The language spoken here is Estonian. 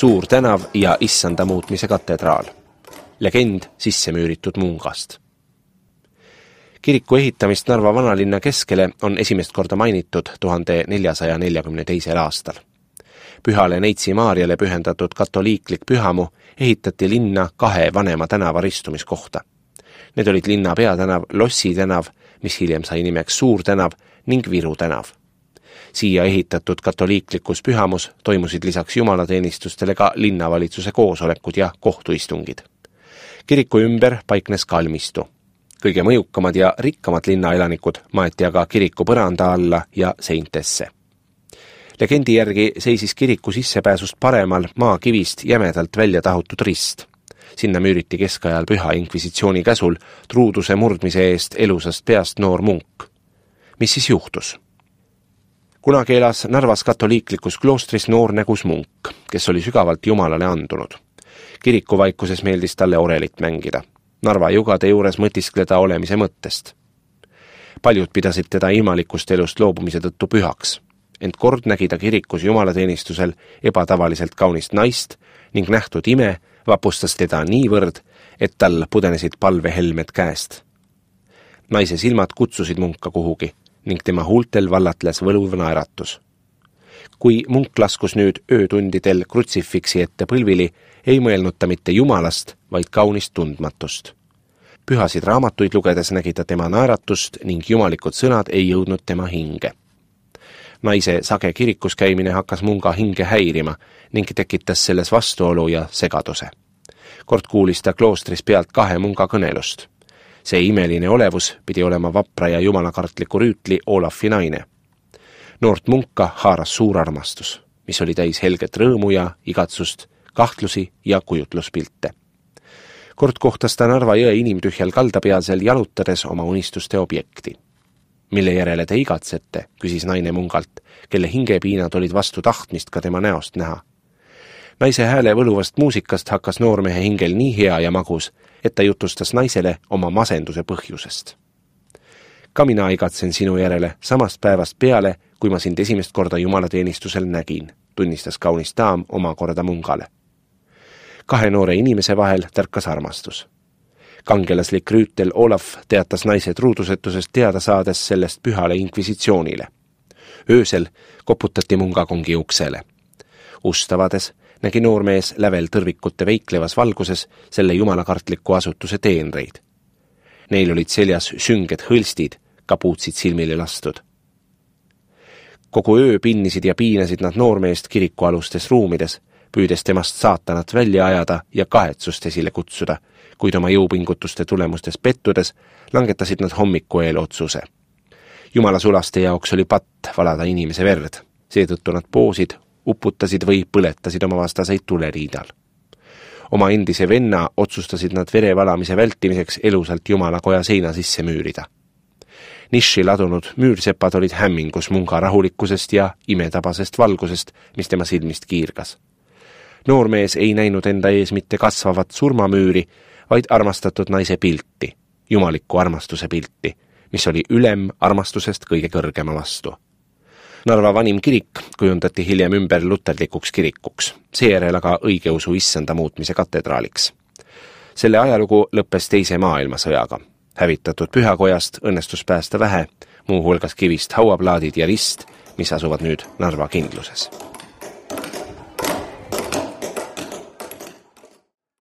Suur tänav ja Issanda muutmise katedraal. Legend sisse müüritud mungast. Kiriku ehitamist Narva vanalinna keskele on esimest korda mainitud 1442. aastal. Pühale Neitsi Maarjale pühendatud katoliiklik pühamu ehitati linna 2 vanema tänava ristumiskohta. Need olid linna peatänav Lossi tänav, mis hiljem sai nimeks Suur tänav, ning Viru tänav. Siia ehitatud katoliiklikus pühamus toimusid lisaks jumalateenistustele ka linnavalitsuse koosolekud ja kohtuistungid. Kiriku ümber paiknes kalmistu. Kõige mõjukamad ja rikkamad linnaelanikud maeti aga kiriku põranda alla ja seintesse. Legendi järgi seisis kiriku sissepääsust paremal maakivist jämedalt välja tahutud rist. Sinna müüriti keskajal püha inkvisitsiooni käsul truuduse murdmise eest elusast peast noor munk. Mis siis juhtus? Kunagi elas Narvas katoliiklikus kloostris noor nägus munk, kes oli sügavalt Jumalale andunud. Kiriku vaikuses meeldis talle orelit mängida. Narva jugade juures mõtiskleda olemise mõttest. Paljud pidasid teda ilmalikust elust loobumise tõttu pühaks, ent kord nägi ta kirikus jumalateenistusel ebatavaliselt kaunist naist ning nähtud ime vapustas teda niivõrd, et tal pudenesid palvehelmed käest. Naise silmad kutsusid munka kuhugi ning tema huultel vallatles võluv naeratus. Kui munk laskus nüüd öötundidel krutsifiksi ette põlvili, ei mõelnud ta mitte Jumalast, vaid kaunist tundmatust. Pühasid raamatuid lugedes nägi ta tema naeratust ning jumalikud sõnad ei jõudnud tema hinge. Naise sage kirikus käimine hakkas munga hinge häirima ning tekitas selles vastuolu ja segaduse. Kord kuulis ta kloostris pealt 2 munga kõnelust. See imeline olevus pidi olema vapra ja jumalakartliku rüütli Olafi naine. Noort munka haaras suur armastus, mis oli täis helget rõõmu ja igatsust, kahtlusi ja kujutluspilte. Kord kohtas ta Narva jõe inimtühjal kaldapealsel jalutades oma unistuste objekti. Mille järele te igatsete, küsis naine mungalt, kelle hingepiinad olid vastu tahtmist ka tema näost näha. Naise hääle võluvast muusikast hakkas noormehe hingel nii hea ja magus, et ta jutustas naisele oma masenduse põhjusest. Ka mina igatsen sinu järele samast päevast peale, kui ma sind esimest korda jumalateenistusel nägin, tunnistas kaunis daam oma korda mungale. 2 noore inimese vahel tärkas armastus. Kangelaslik rüütel Olaf teatas naise truudusetusest teada saades sellest pühale inkvisitsioonile. Öösel koputati mungakongi uksele. Ustavades nägi noormees lävel tõrvikute veiklevas valguses selle jumalakartliku asutuse teenreid. Neil olid seljas sünged hõlstid, kapuutsid silmile lastud. Kogu öö pinnisid ja piinasid nad noormeest kirikualustes ruumides, püüdes temast saatanat välja ajada ja kahetsust esile kutsuda, kuid oma jõupingutuste tulemustes pettudes langetasid nad hommiku eel otsuse. Jumala sulaste jaoks oli patt valada inimese verd, seetõttu nad poosid, uputasid või põletasid oma vastaseid tuleriidal. Oma endise venna otsustasid nad vere valamise vältimiseks elusalt Jumalakoja seina sisse müürida. Niši ladunud müürsepad olid hämmingus munga rahulikkusest ja imetabasest valgusest, mis tema silmist kiirgas. Noormees ei näinud enda ees mitte kasvavat surmamüüri, vaid armastatud naise pilti, jumaliku armastuse pilti, mis oli ülem armastusest kõige kõrgema vastu. Narva vanim kirik kujundati hiljem ümber luterlikuks kirikuks, seejärel aga õigeusu Issanda muutmise katedraaliks. Selle ajalugu lõppes Teise maailmasõjaga. Hävitatud pühakojast õnnestus päästa vähe, muu hulgas kivist hauaplaadid ja rist, mis asuvad nüüd Narva kindluses.